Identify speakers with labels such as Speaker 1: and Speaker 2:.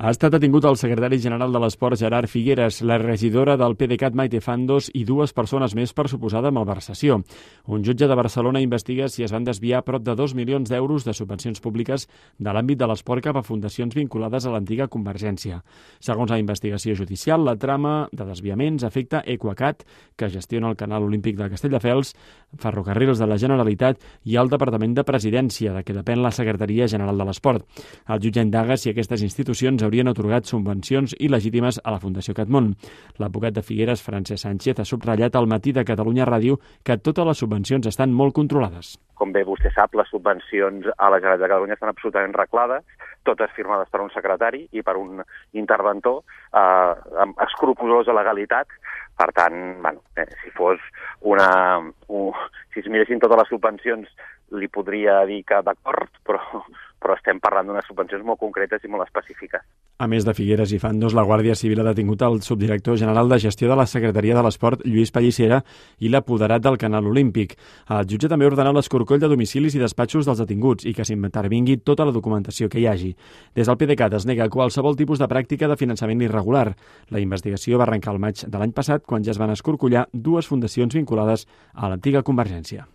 Speaker 1: Ha estat detingut el secretari general de l'Esport, Gerard Figueras, la regidora del PDeCAT, Maite Fandos, i dues persones més per suposada malversació. Un jutge de Barcelona investiga si es van desviar prop de 2 milions d'euros de subvencions públiques de l'àmbit de l'esport cap a fundacions vinculades a l'antiga Convergència. Segons la investigació judicial, la trama de desviaments afecta Equacat, que gestiona el Canal Olímpic de Castelldefels, Ferrocarrils de la Generalitat i el Departament de Presidència, de què depèn la Secretaria General de l'Esport. El jutge indaga si aquestes institucions haurien atorgat subvencions il·legítimes a la Fundació Catmon. L'advocat de Figueras, Francesc Sánchez, ha subratllat al Matí de Catalunya Ràdio que totes les subvencions estan molt controlades.
Speaker 2: Com bé vostè sap, les subvencions a la Generalitat de Catalunya estan absolutament reglades, totes firmades per un secretari i per un interventor amb escrupulosa legalitat. Per tant, si fos si es miressin totes les subvencions, li podria dir que d'acord, però estem parlant d'unes subvencions molt concretes i molt específiques.
Speaker 1: A més de Figueras i Fandos, la Guàrdia Civil ha detingut el subdirector general de gestió de la Secretaria de l'Esport, Lluís Pallissera, i l'apoderat del Canal Olímpic. El jutge també ha ordenat l'escorcoll de domicilis i despatxos dels detinguts i que s'intervingui tota la documentació que hi hagi. Des del PDeCAT es nega qualsevol tipus de pràctica de finançament irregular. La investigació va arrencar el maig de l'any passat, quan ja es van escorcollar dues fundacions vinculades a l'antiga Convergència.